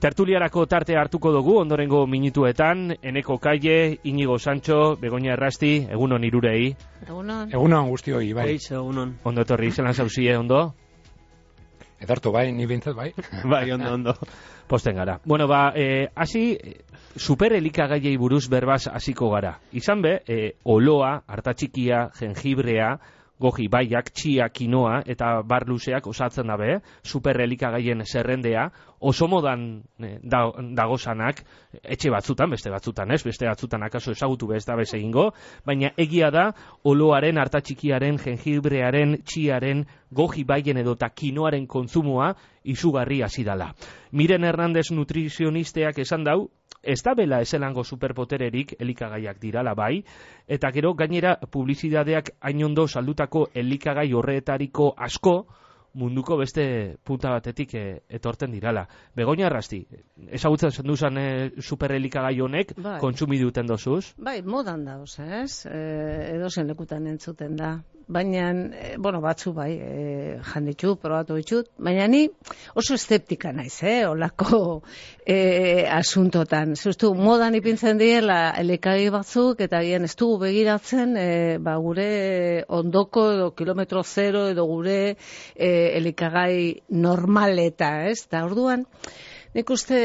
Tertuliarako tartea hartuko dugu ondorengo minutuetan, Eneko Kaie, Inigo Sancho, Begoña Errasti, egunon irurei. Egunon guztioi, bai. Egunon. Ondo etorri, zelan zauzie, ondo? Edartu bai, ni bintzat bai. Bai, ondo. Posten gara. Bueno, hasi superelikagaiei buruz berbaz hasiko gara. Izan be, oloa, artatxikia, jengibrea, goji baiak, txia, kinoa eta bar luzeak osatzen dabe, superelikagaien zerrendea, oso modan dagozanak, etxe batzutan, beste batzutan ez, beste batzutan akaso ezagutu bez da bez egingo, baina egia da, oloaren, artatxikiaren, jengibrearen, txiaren, goji baien edo eta kinoaren kontsumoa izugarri hasi dala. Miren Hernandez nutrizionistak esan dau, ez da bela ezelango superpotererik elikagaiak dirala bai, eta gero gainera publizidadeak hain ondo saldutako elikagai horretariko asko munduko beste punta batetik etorten dirala. Begoña Errasti, ezagutzen zenduzan superelikagai honek, bai. Kontsumi duten dozuz? Bai, modan da, ez? Edozen lekutan entzuten da. Baina, batzu bai, janditu, probatu ditut, baina ni oso eszeptika naiz, olako asuntotan. Zuztu, modan ipintzen diela elikagai batzuk, eta ez dugu begiratzen, gure ondoko edo kilometro zero edo gure elikagai normaleta, ez? Eta orduan, nik uste,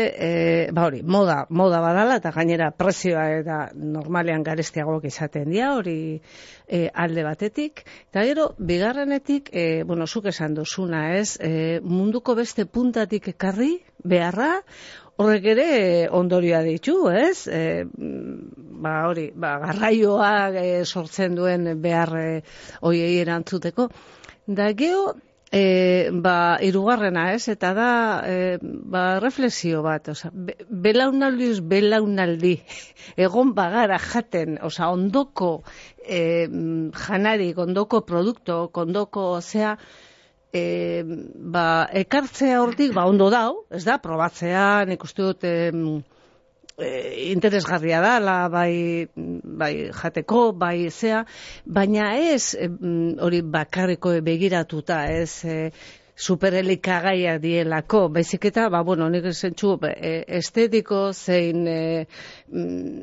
moda badala, eta gainera prezioa eta normalean garestiagoak izaten dira, hori alde batetik. Eta gero, bigarrenetik, zuk esan duzuna, ez, munduko beste puntatik ekarri, beharra, horrek ere ondorioa ditu, ez? Garraioa sortzen duen behar hoiei erantzuteko. Da gero, hirugarrena, ez? Eta da, reflexio bat, belaunaldi, egon bagara jaten, ondoko janarik, ondoko produkto, ondoko zea, ekartzea hortik, ondo dau, ez da, probatzea, nik uste dut, interesgarria da, bai jateko, bai zea, baina ez hori bakarriko begiratuta, ez superelikagaiak dielako, baizik eta, nik zentzu estetiko zein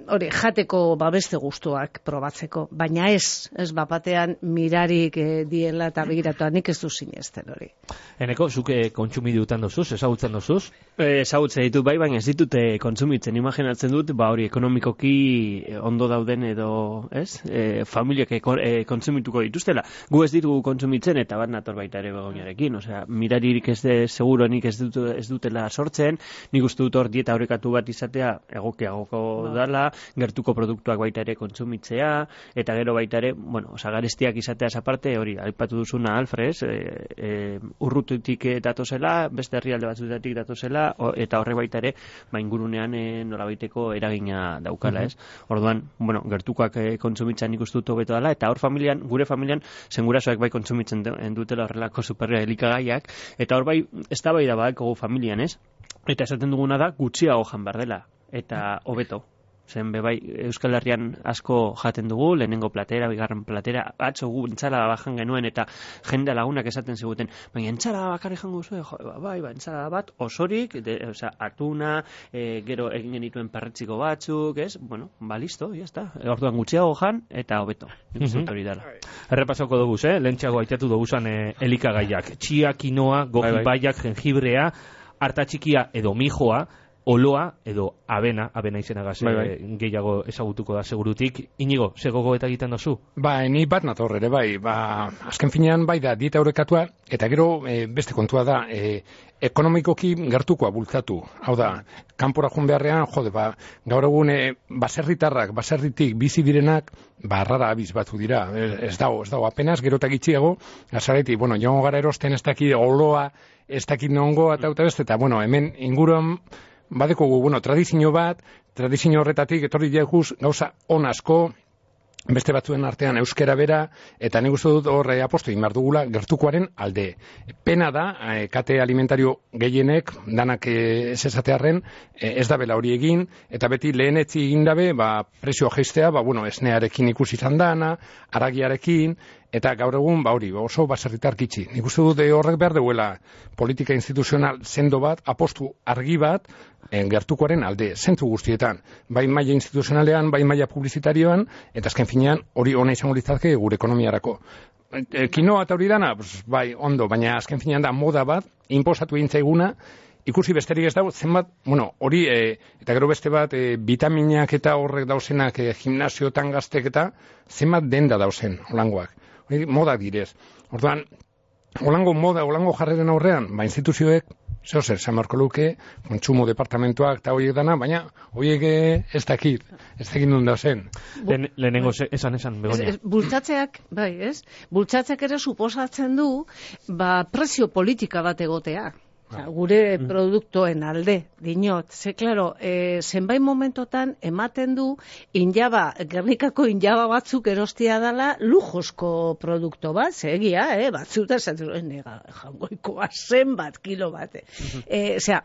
hori jateko beste gustuak probatzeko, baina ez batean mirarik diela eta begiratuta, nik ez du sinesten hori. Eneko, zuke kontsumi dutan dozuz, ezagutzen dozuz? Ezagutzen ditut bai, baina ez ditute kontsumitzen, imaginatzen dut, hori ekonomikoki ondo dauden edo, ez? Familiak kontsumituko dituztela. Gu ez ditugu kontsumitzen eta bat nator baita ere Begoñarekin, osea, miraririk ez seguronik ez dutela sortzen, nik uste dut hor dieta horrekatu bat izatea egokiagoko dala, gertuko produktuak baita ere kontsumitzea, eta gero baita ere, garestiak izateaz aparte, hori, aipatu duzuna Alfrez, urrututik datozela, beste herrialde batzutatik datozela, eta horre baita ere, ingurunean nolabaiteko eragina daukala, ez? Orduan, gertukoak kontsumitzen nik uste dut hobeto dela, eta hor gure familian, zengurasoak bai kontsumitzen dutela horrelako superelikagaiak, eta hor bai, ez da bai da badako familian, ez? Eta esaten duguna da, gutxiago jan behar dela, eta hobeto. Zen bebai, Euskal Herrian asko jaten dugu, lehenengo platera, bigarren platera, atzo gu entzalada bajan genuen, eta jende lagunak esaten ziguten, baina entzalada bakarri jango zuen, entzalada bat, osorik, atuna, gero egin genituen perretziko batzuk, ez? Listo, jazta. Orduan gutxiago jan, eta hobeto. Hori dela. Errepasoko dugu, lehentxeago aitatu duguzan elikagaiak. Txia, kinoa, goji baiak, jengibrea, artatxikia edo mijoa, oloa edo abena izenagaz gehiago ezagutuko da segurutik. Inigo, ze gogoeta egiten dozu? Ni bat nator ere, azken finean da dieta horrekatua, eta gero beste kontua da, ekonomikoki gertukoa bultzatu. Hau da, kanpora joan beharrean, gaur egun baserritik bizi direnak, rara abiz batzu dira, ez dago, apenas, gero eta gitxiago, azareti, joango gara erosten ez dakit oloa, ez dakit nongo, eta hemen inguruan, badekogu, tradizio horretatik etorri jaiguz gauza on asko, beste batzuen artean euskera bera, eta nik uste dut hor apostu egin behar dugula gertukoaren alde. Pena da, kate alimentario gehienek, danak ez esatearren, ez da bela hori egin, eta beti lehenetzi egin dabe, prezioa jeistea, esnearekin ikusi izan dana, aragiarekin, Eta gaur egun, hori, oso baserritar gitxi. Nik uste dut horrek behar duela politika instituzional sendo bat, apostu argi bat, gertukoaren alde, zentzu guztietan. Bai maila instituzionalean, bai maila publizitarioan, eta azken finean hori ona izango litzateke gure ekonomiarako. Kinoa eta hori dana, bai, ondo, baina azken finean da moda bat, inposatu egin zaiguna, ikusi besterik ez dago, zenbat, hori, eta gero beste bat, vitaminak eta horrek dauzenak, gimnasiotan gaztek eta, zenbat denda dauzen, holangoak. Hori, moda direz. Orduan, holango moda, holango jarreren aurrean, instituzioek, zer, Marko luke, kontsumo departamentuak eta horiek dana, baina horiek ez dakit nun dauzen. Lehenengo esan, Begoña. Bultzatzeak, bai, ez? Bultzatzeak ere suposatzen du, prezio politika bat egotea. Gure produktoen alde, dinot. Ze, klaro, zenbait momentotan ematen du Gernikako injaba batzuk erostia dela lujosko produkto bat, egia, batzuta zaten jangoikoa zenbat kilo bate.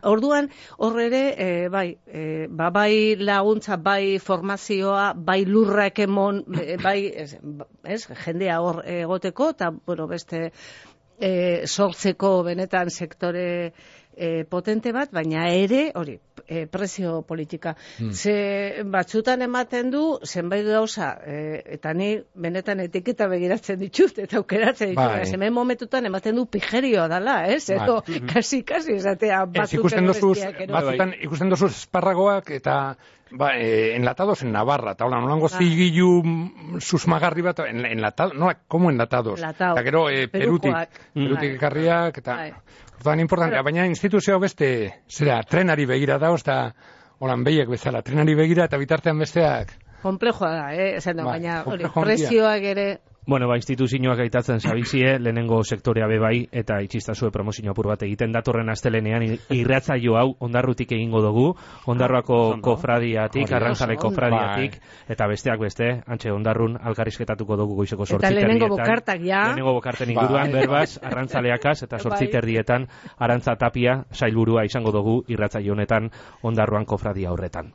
Orduan, horre bai laguntza, bai formazioa, bai lurrak emon, bai, jendea hor egoteko, eta, beste sortzeko benetan sektore potente bat, baina ere, hori, prezio politika. Ze batzutan ematen du, zenbait gauza, eta ni benetan etiketa begiratzen ditut, eta aukeratzen ditut, zenbait momentutan ematen du pijerioa dela, edo kasi esatea batzutan ikusten dozuz esparragoak, eta enlatados en Navarra, eta hola, nolango zigilu susmagarri bat, enlatados, no, como enlatados? Eta gero, perutik ekarriak, eta orduan importantea, baina instituzioa beste, trenari begira dauz, eta holan behiek bezala, trenari begira, eta bitartean besteak. Komplejoa da, baina prezioak ere... Instituzioak gaitatzen zabizie, lehenengo sektorea bebai, eta itxistazue promozio apur bat egiten datorren astelenean irratzaio hau ondarrutik egingo dugu, ondarroako kofradiatik, arrantzale kofradiatik, eta besteak beste, antxe ondarrun alkarrizketatuko dugu goizeko 8 Eta lehenengo bokartak, ja. Lehenengo bokarten inguruan, berbaz, arrantzaleakaz, eta 8 erdietan, Arantza Tapia, sailburua izango dugu irratzaio honetan ondarruan kofradia horretan.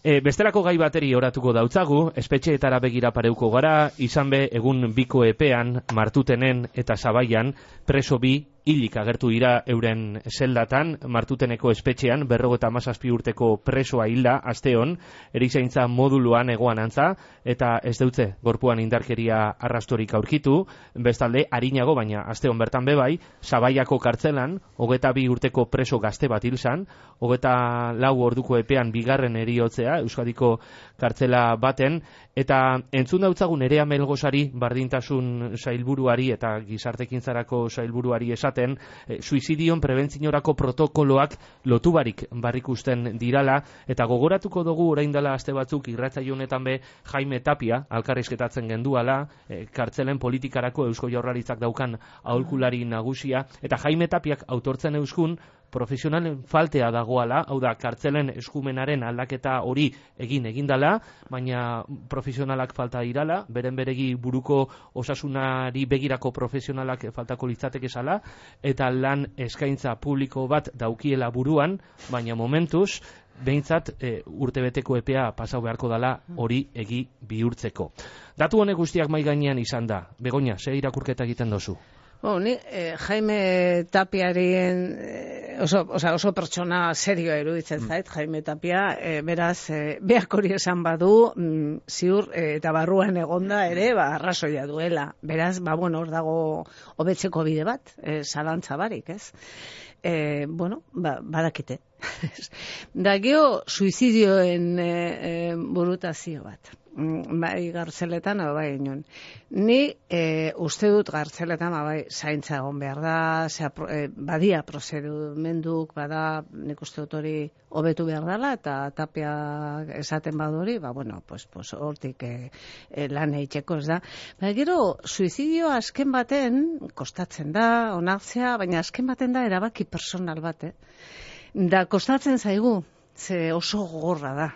Bestelako gai bateri oratuko dautzagu, espetxeetara begira pareuko gara, izan be egun biko epean, Martutenen eta Zabaian, preso bi hilik agertu dira euren zeldatan, Martuteneko espetxean, 57 urteko presoa hilda, asteon, erizaintza moduluan egoan antza, eta ez deutze, gorpuan indarkeria arrastorik aurkitu, bestalde, arinago, baina asteon bertan bebai, Zabaiako kartzelan, 22 urteko preso gazte bat hilzan, 24 orduko epean bigarren eriotzea, Euskadiko kartzela baten, eta entzun dautzagun Nerea Melgosari, bardintasun sailburuari eta gizartekintzarako sailburuari esaten, suizidion prebentziorako protokoloak lotubarik barrikusten dirala, eta gogoratuko dugu orain dela aste batzuk irratsaio honetan be Jaime Tapia alkarrizketatzen genduala, kartzelen politikarako Eusko Jaurlaritzak daukan aholkulari nagusia, eta Jaime Tapiak autortzen euskun profesionalen faltea dagoala, hau da, kartzelen eskumenaren aldaketa hori egindala, baina profesionalak falta dirala, beren beregi buruko osasunari begirako profesionalak faltako litzateke zala, eta lan eskaintza publiko bat daukiela buruan, baina momentuz, behintzat urtebeteko epea pasau beharko dala hori egi bihurtzeko. Datu honek guztiak mai gainean izan da. Begoña, ze irakurketa egiten dozu? Ni Jaime Tapiaren oso pertsona serioa iruditzen zait, Jaime Tapia, beraz, beak hori esan badu, ziur eta barruan egonda ere, arrazoia duela. Beraz, hor dago hobetzeko bide bat, zalantza barik, ez? Badakite. Da geho, suizidioen burutazio bat. Bai gartzeletan, bai inon. Ni uste dut gartzeletan, bai zaintza egon behar da, badia prozedumenduk, bada nik uste dut hori hobetu behar dela, eta Tapia esaten badu hori, hortik lan eitzeko ez da. Gero, suizidio azken baten, kostatzen da, onartzea, baina azken baten da erabaki personal bat, Da kostatzen zaigu, ze oso gogorra da.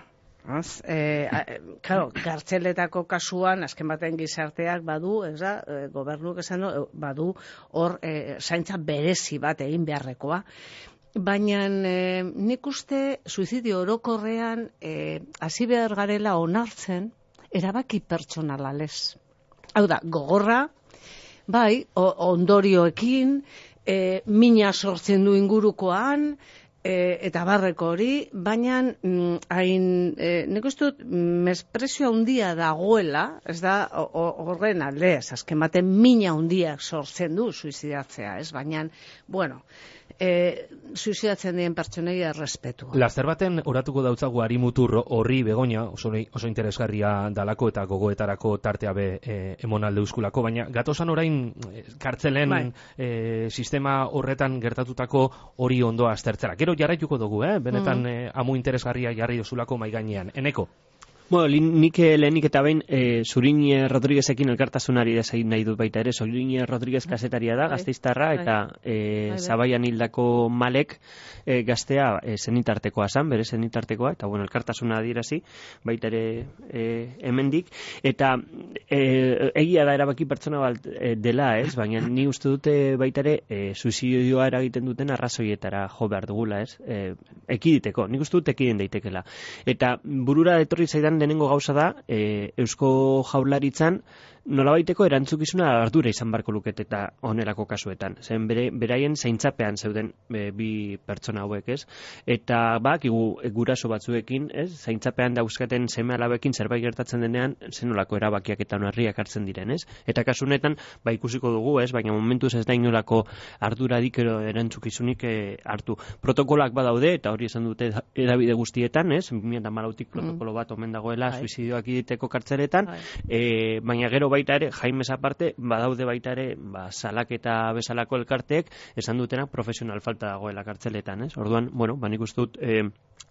Kartzeletako kasuan, azken baten gizarteak badu, gobernuk esan badu, hor zaintza berezi bat egin beharrekoa. Baina nik uste suizidio orokorrean hasi behar garela onartzen erabaki pertsonala lez. Hau da, gogorra, Bai, ondorioekin, mina sortzen du ingurukoan, eta barreko hori, baina nik uste dut mesprezio handia dagoela, ez da horren alde, azken baten mina handiak sortzen du suizidatzea, ez? Baina, bueno, suizidatzen dien pertsonei errespetua. Laster baten oratuko dautzagu Arimutur horri Begoña, oso interesgarria dalako eta gogoetarako tartea emonalde euskulako, baina gatozan orain kartzelen sistema horretan gertatutako hori ondo aztertzera. Gero jarraituko dugu, benetan amu interesgarria jarri dozulako mai gainean. Eneko? Bueno, nik lehenik eta behin Zurin Rodriguezekin elkartasunari desegin nahi dut baita ere. Zurin Rodriguez kazetaria da, Gasteiztarra, eta Zabaian hildako Malek gaztea zenitartekoa zan, bere zenitartekoa, eta bueno, elkartasuna adierazi, baita ere hemendik. Eta egia da erabaki pertsona bat dela, ez? Baina ni uste dute baita ere suizidioa eragiten duten arrazoietara jo behar dugula, ez? Ekiditeko, nik uste dut ekiden daitekela. Eta burura etorri zaidan lehenengo gauza da, Eusko Jaurlaritzan nolabaiteko erantzukizuna ardura izan barko lukete eta onerako kasuetan. Zen beraien zaintzapean zeuden bi pertsona hauek, ez? Eta guraso batzuekin, ez? Zaintzapean dauzkaten seme alabekin zerbait gertatzen denean, zenolako erabakiak eta onarriak hartzen diren, ez? Eta kasu honetan, ikusiko dugu, ez? Baina momentuz ez da inolako arduradik edo erantzukizunik hartu. Protokolak badaude, eta hori esan dute edabide guztietan, ez? 2014tik protokolo bat omen dagoela suizidioak egiteko kartzeletan, baina gero baita ere, Jaimez aparte, badaude baita ere, salaketa bezalako elkarteek esan dutena profesional falta dagoela kartzeletan, ez? Orduan, bueno, nik uste dut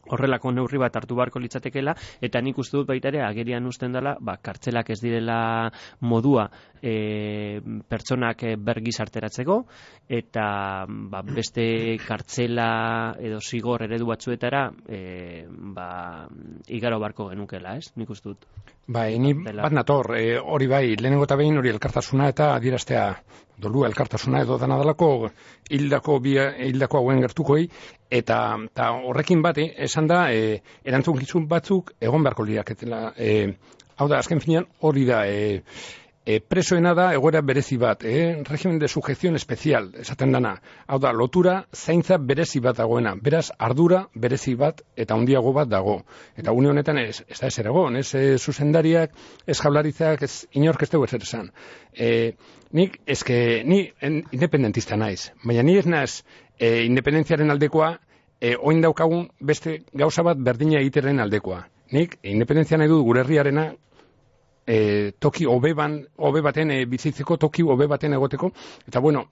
horrelako neurri bat hartu beharko litzatekeela, eta nik uste dut baita ere agerian uzten dela, kartzelak ez direla modua pertsonak bergizarteratzeko, eta beste kartzela edo zigor eredu batzuetara igaro barko genukela, ez? Nik uste dut. Ni bat nator, hori bai, lehenengo eta behin hori elkartasuna eta adieraztea dolua elkartasuna edo dana dalako hildako hauen gertukoi, eta horrekin bat, esan da, erantzukizun batzuk egon beharko liraketela. Hau da, azken finean hori da, presoena da egoera berezi bat, regimen de sujeción especial, esaten dana. Hau da, lotura zaintza berezi bat dagoena, beraz ardura berezi bat eta handiago bat dago. Eta une honetan ez da ezer egon, ez zuzendariak, ez Jaurlaritzak, ez inork ez dugu ezer esan. Ni independentista naiz, baina ni ez naiz independentziaren aldekoa, oin daukagun beste gauza bat berdina egiteren aldekoa. Nik independentzia nahi dut gure herriarena, toki hobe baten bizitzeko, toki hobe baten egoteko, eta bueno,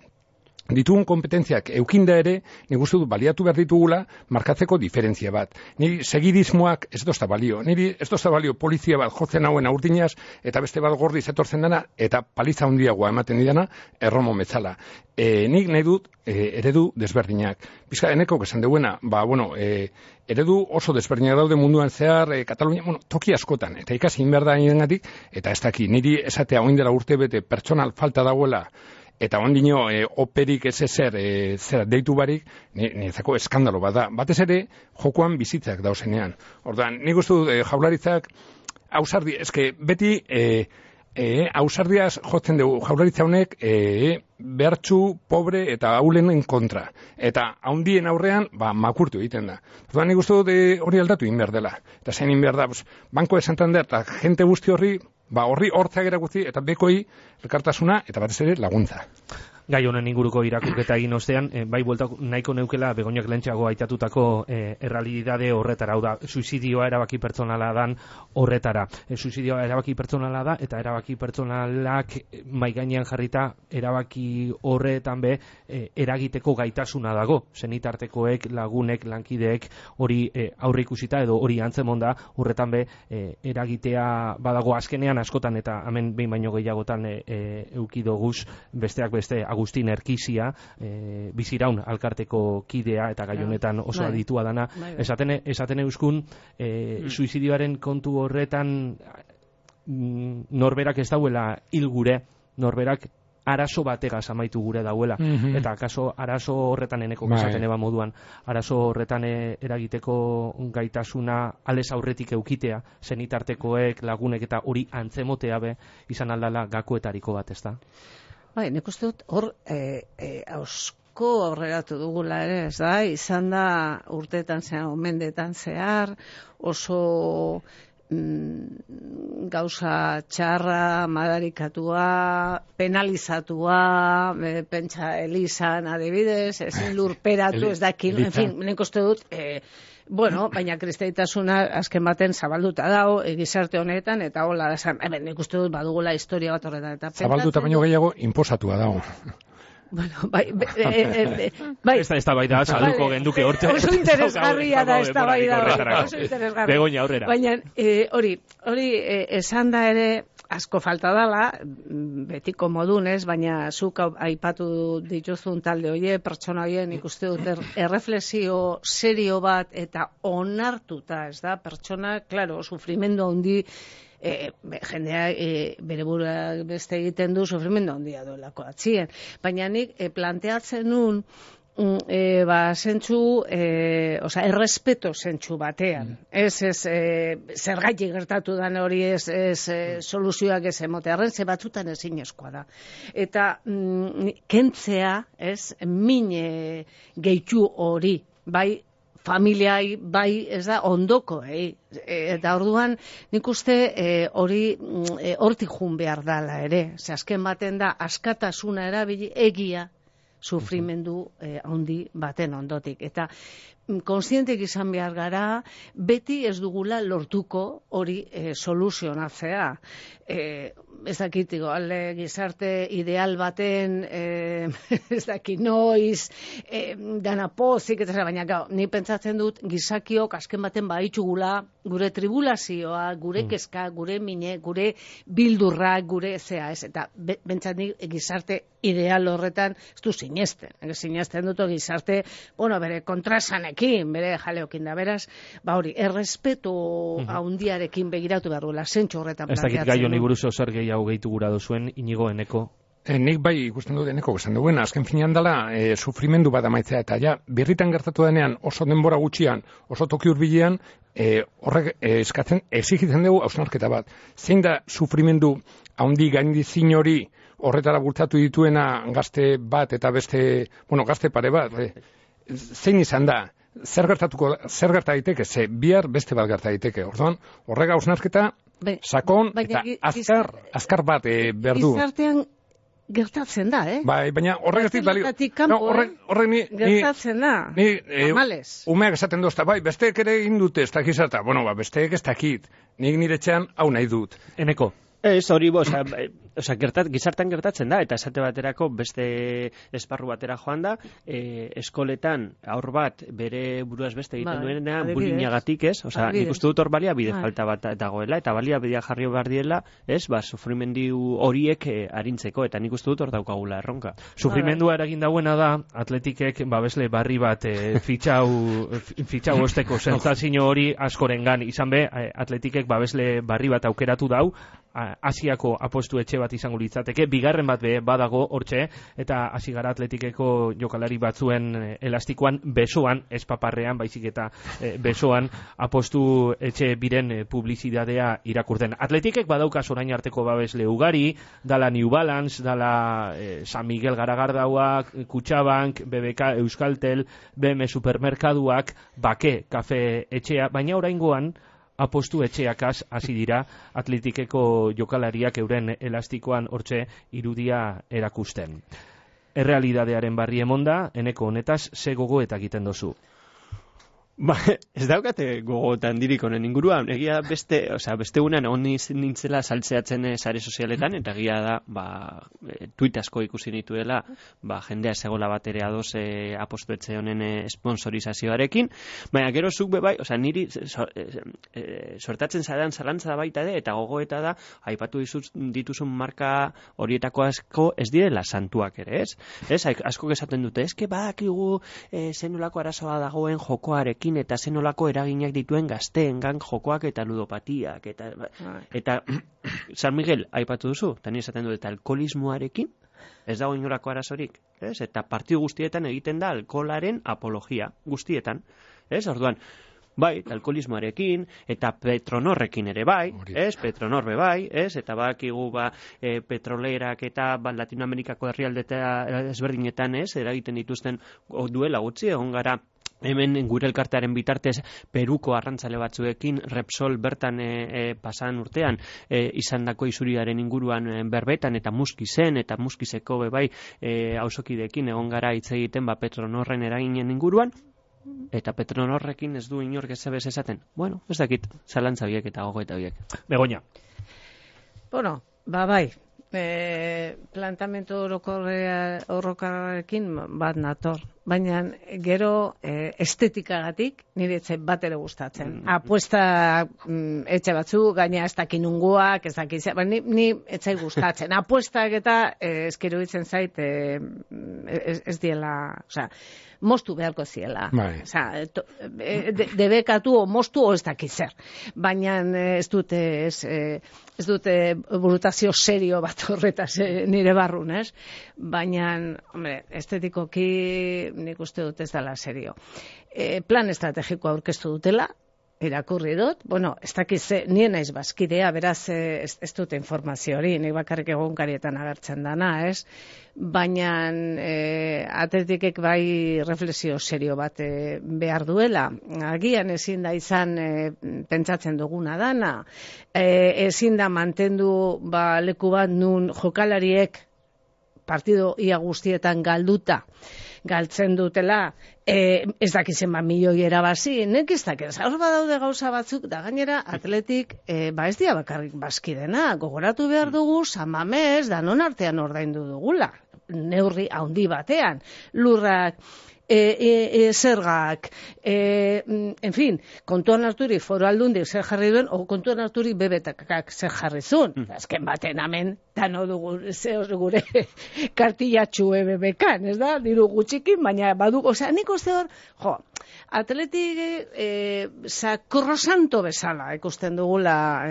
ditugun kompetentziak eukinda ere, nik uste dut baliatu behar ditugula markatzeko diferentzia bat. Niri segidismoak ez dozta balio. Niri ez dozta balio polizia bat jotzen hauen aurtinaz, eta beste bat gordiz etortzen dana, eta paliza handiagoa ematen didana, erromo metzala. Nik nahi dut eredu desberdinak. Bizka, eneko esan deuena, eredu oso desberdinak daude munduan zehar, Katalunia, toki askotan, eta ikasi inberda nirengatik, eta ez daki, niri esatea oin dela urte bete pertsonal falta dagoela, eta ondino operik ez zera deitu barik, niretzako eskandalo bat da. Batez ere, jokoan bizitzak dauzenean. Ordan, nik uste dut Jaurlaritzak ausardi, eske beti ausardiaz jotzen dugu Jaurlaritza honek behartzu, pobre eta aulenen kontra. Eta haundien aurrean, makurtu egiten da. Ordan, nik uste dut hori aldatu inber dela. Eta zein inber da, Banco de Santander eta jente guzti horri, horri hortzak erakutzi eta bekoi elkartasuna eta batez ere laguntza. Gai honen inguruko irakurketa egin ostean, bai bueltak nahiko neukela Begoñak lehentxeago aitatutako errealidade horretara, hau da, suizidioa erabaki pertsonala dan horretara. Suizidioa erabaki pertsonala da, eta erabaki pertsonalak maigainean jarrita erabaki horretan eragiteko gaitasuna dago. Zenitartekoek, lagunek, lankideek hori aurre ikusita edo hori antzemonda horretan eragitea badago azkenean askotan eta hemen behin baino gehiagotan eukidoguz besteak beste Agustin Erkizia, biziraun alkarteko kidea eta gai honetan oso aditua dana. Esaten euskun, suizidioaren kontu horretan norberak ez dauela hil gure, norberak arazo bategaz amaitu gure dauela. Eta akaso arazo horretan eneko esaten eba moduan, arazo horretan eragiteko gaitasuna alez aurretik eukitea, zenitartekoek, lagunek eta hori antzemotea izan aldala gakoetariko bat, ez da? Bai, nik uste dut hor ausko aurreratu dugula ere, ez da, izan da urteetan zehar, mendeetan zehar, oso gauza txarra, madarikatua, penalizatua, pentsa Elizan adibidez, ezin lurperatu, ez dakil, en fin, nik uste dut, bueno, baina kristaitasuna azken baten zabalduta dago, gizarte honetan, eta hola, nik uste dut badugula historia bat horretan. Zabalduta baino gehiago, inposatua dago. Bueno, bai. Ez da baita, salduko genduke horte. Oso interesgarria da, ez da baita. Oso interesgarria. Begoña aurrera. Baina, hori, esan da ere, asko falta dala, betiko modunez, baina zuk aipatu dituzun talde hoie, pertsona hoien ikuste dut erreflexio serio bat eta onartuta, ez da, pertsona, claro, sufrimendu handi, jendea bere burua beste egiten du sufrimendu handia duelako atzien. Baina nik planteatzen nun zentzu, errespeto zentzu batean. Zergatik gertatu dan hori soluzioak ez emotearen, ze batzutan ezinezkoa da. Eta kentzea, min gehitu hori, bai, familiai, bai, ez da, ondoko, eta orduan, nik uste hori hortik jun behar dala ere. Ze azken baten da, askatasuna erabili egia sufrimendu handi baten ondotik. Eta kontzientek izan behar gara, beti ez dugula lortuko hori soluzionatzea. Ez dakitiko, alde gizarte ideal baten, ez dakit noiz, dana pozik, eta baina gau, ni pentsatzen dut gizakiok azken baten baitugula gure tribulazioa, gure kezka, gure mine, gure bildurrak, gure zea, ez, eta bentsat nik gizarte ideal horretan ez du sinesten. Sinesten dut gizarte, bueno, bere kontrasanekin, bere jaleokin da, beraz, ba hori, errespeto handiarekin begiratu behar duela, zentxo horretan planteatzen. Ez dakit gai honi buruz zer gehiago gehitu gura duzuen, Inigo, Eneko? Nik bai ikusten dut Eneko esan duen, azken finean dela sufrimendu bat amaitzea, eta ja, birritan gertatu denean, oso denbora gutxian, oso toki hurbilean, horrek exigitzen dugu hausnarketa bat. Zein da sufrimendu handi gaindizin hori horretara bultzatu dituena gazte bat eta beste, bueno, gazte pare bat, zein izan da? Zer gerta daiteke, ze bihar beste bat gerta daiteke. Orduan, horrega hausnarketa sakon eta azkar bat behar du. Gizartean gertatzen da, Bai, baina horregatik balio. Gertatzen da. Umeak esaten dozta, bai, besteek ere egin dute ez dakizata. Bueno, besteek ez dakit. Nik nire txean hau nahi dut. Eneko? Ez hori, gizartan gertatzen da, eta esate baterako beste esparru batera joan da, eskoletan aur bat bere buruaz beste egiten duena bulinagatik, ez? Nik uste dut hor baliabide falta bat dagoela, eta baliabidea jarri behar diela, sufrimendu horiek arintzeko, eta nik uste dut hor daukagula erronka. Sufrimendua eragin dauena da, Atletikek babesle barri bat fitxau osteko sentsazio hori askorengan izan be, Atletikek babesle barri bat aukeratu dau, Asiako apostu etxe bat izango litzateke, bigarren bat badago hortxe, eta hasi gara Atletikeko jokalari batzuen elastikoan besoan, ez paparrean, baizik eta besoan apostu etxe biren publizidadea irakurten. Atletikek badaukas orain arteko babesle ugari, dala New Balance, dala San Miguel Garagardauak, Kutxabank, BBK, Euskaltel, BM Supermerkaduak, Bake, kafe etxea, baina oraingoan apostu etxeakaz hasi dira Atletikeko jokalariak euren elastikoan hortxe irudia erakusten. Errealidadearen barri emonda, Eneko honetaz, ze gogo eta egiten dozu? Ba, ez daukate gogotan dirik honen inguruan, egia beste unean honi nintzela saltzeatzen sare sozialetan, eta egia da, tuit asko ikusi nituela, jendea segola bat ere adoz apostuetxe honen sponsorizazioarekin, baina gero zuk bebai, niri sortatzen zadan zalantza da baita ere, eta gogoeta da, aipatu dituzun marka horietako asko ez direla santuak ere, ez? Asko esaten dute, eske badakigu zenolako arazoa dagoen jokoarekin, eta zenolako eraginak dituen gazteengan jokoak eta ludopatiak eta San Miguel aipatu duzu, eta ni esaten dut, eta alkoholismoarekin ez dago inolako arazorik, eta partidu guztietan egiten da alkoholaren apologia guztietan, orduan bai, alkoholismoarekin, eta Petronorrekin ere bai, ez, Petronor be bai, ez, eta bakigu petrolerak eta Latinoamerikako herrialdeta ezberdinetan, ez, eragiten dituzten duela gutxi, egon gara hemen gure elkartearen bitartez Peruko arrantzale batzuekin Repsol bertan pasan urtean izandako isuriaren inguruan berbetan eta Muskizen eta Muskizeko bai auzokideekin egon gara hitz egiten Petronorren eraginen inguruan eta Petronorrekin ez du inork ezabez esaten. Bueno, ez dakit, zalantza biek eta gogoeta biek. Begoña. Bueno, bai. Plantamentu orokorrekin bat nator. Baina gero estetikagatik nire etxe bat ere gustatzen. Apuesta etxe batzu, gaina ez dakin unguak, ez dakin, ni etxai gustatzen. Apuestak eta eskero ditzen zait ez diela, osea, mostu beharko ziela. Osea, debekatu o mostu o ez dakit zer. Baina ez dute burutazio serio bat horretaz nire barrun, ez? Baina, hombre, estetikoki nik uste dut ez dela serio. Plan estrategikoa aurkeztu dutela, irakurri dut, bueno, ez dakiz, nien naiz bazkidea, beraz ez dute informazio hori, nik bakarrik egunkarietan agertzen dana, ez? Baina atletikek bai reflexio serio bat behar duela. Agian ezin da izan pentsatzen duguna dana, ezin da mantendu leku bat nun jokalariek partido ia guztietan galtzen dutela, ez dakizen milioi erabazi, nek ez dakiz, hor badaude gauza batzuk, da gainera atletik, ez dia bakarrik bazkidena, gogoratu behar dugu, San Mamés, danon artean ordaindu dugula, neurri handi batean, lurrak, zergak, en fin, kontuan harturik Foru Aldundik zer jarri duen, o kontuan harturik bebetakak zer jarri zuen. Azken baten hemen, dano dugu gure kartillatxu bebekan, ez da? Diru gutxikin, baina badugu, osea, nik uste hor, atletik sakrosanto bezala ikusten dugula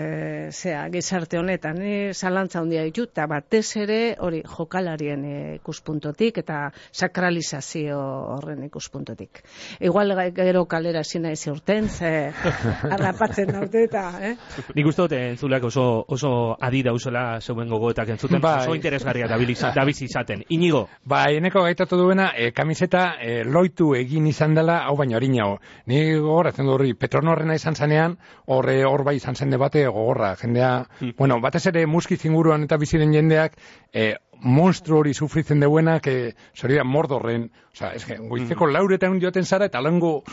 gizarte honetan, zalantza handia ditut, eta batez ere hori jokalarien ikuspuntotik eta sakralizazio horren ikuspuntotik. Igual gero kalera zina ezi urten, harrapatzen naute eta, Nik uste dut entzuleak oso adi dauzela zeuen gogoetak entzuten, oso interesgarria dabiz izaten. Inigo? Eneko gaitatu duena, kamiseta loitu egin izan dela, hau baino harinago. Ni gogoratzen du horri, Petronorrena izan zanean, hor bai izan zen debate gogorra, jendea, bueno, batez ere Muskiz inguruan eta biziren jendeak, monstru hori sufritzen deuenak, zoria Mordorren, goizeko lauretan joaten zara, eta lango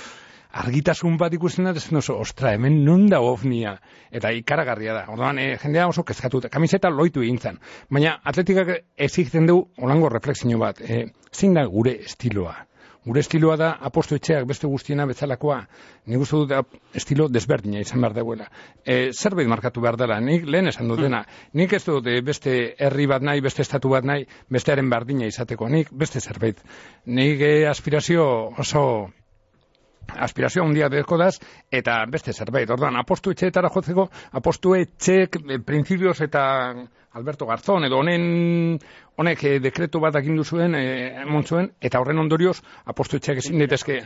argitasun bat ikusten da, ostra, hemen non da ovnia, eta ikaragarria da. Orduan, jendea oso kezkatuta, kamiseta loitu egin zen. Baina atletikak exigiten du, olango reflexio bat, zein da gure estiloa? Gure estiloa da apostu etxeak beste guztiena bezalakoa. Nik uste dut estilo desberdina izan behar dauela. Zerbait markatu behar dela, nik lehen esan dutena. Nik ez dut beste herri bat nahi, beste estatu bat nahi, bestearen berdina izateko. Nik beste zerbait. Nik aspirazio handia dezko daz, eta beste zerbait. Orduan, apostu etxeetara jotzeko, apostu etxeek printzipioz eta Alberto Garzón, edo honek dekretu bat agindu zuen, montzuen, eta horren ondorioz, apostu etxeak ezin daitezke.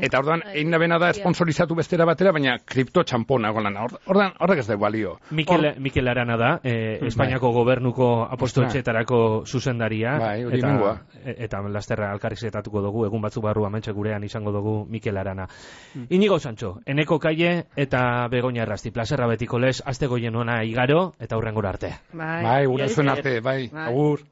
Eta orduan, egin da bena da sponsorizatu bestera batera, baina kripto txampona golan. Orduan, horrek ez da balio. Mikel Arana da, Espainiako gobernuko apostu etxeetarako zuzendaria. Eta lasterra alkarrizketatuko dugu, egun batzuk barru amentxe gurean izango dugu Mikel Arana. Inigo Sancho, Eneko Kaie eta Begoña Errasti, plazerra betiko lez, azte goien ona igaro, eta hurrengora arte. Bai, gure zuen arte, bai, agur.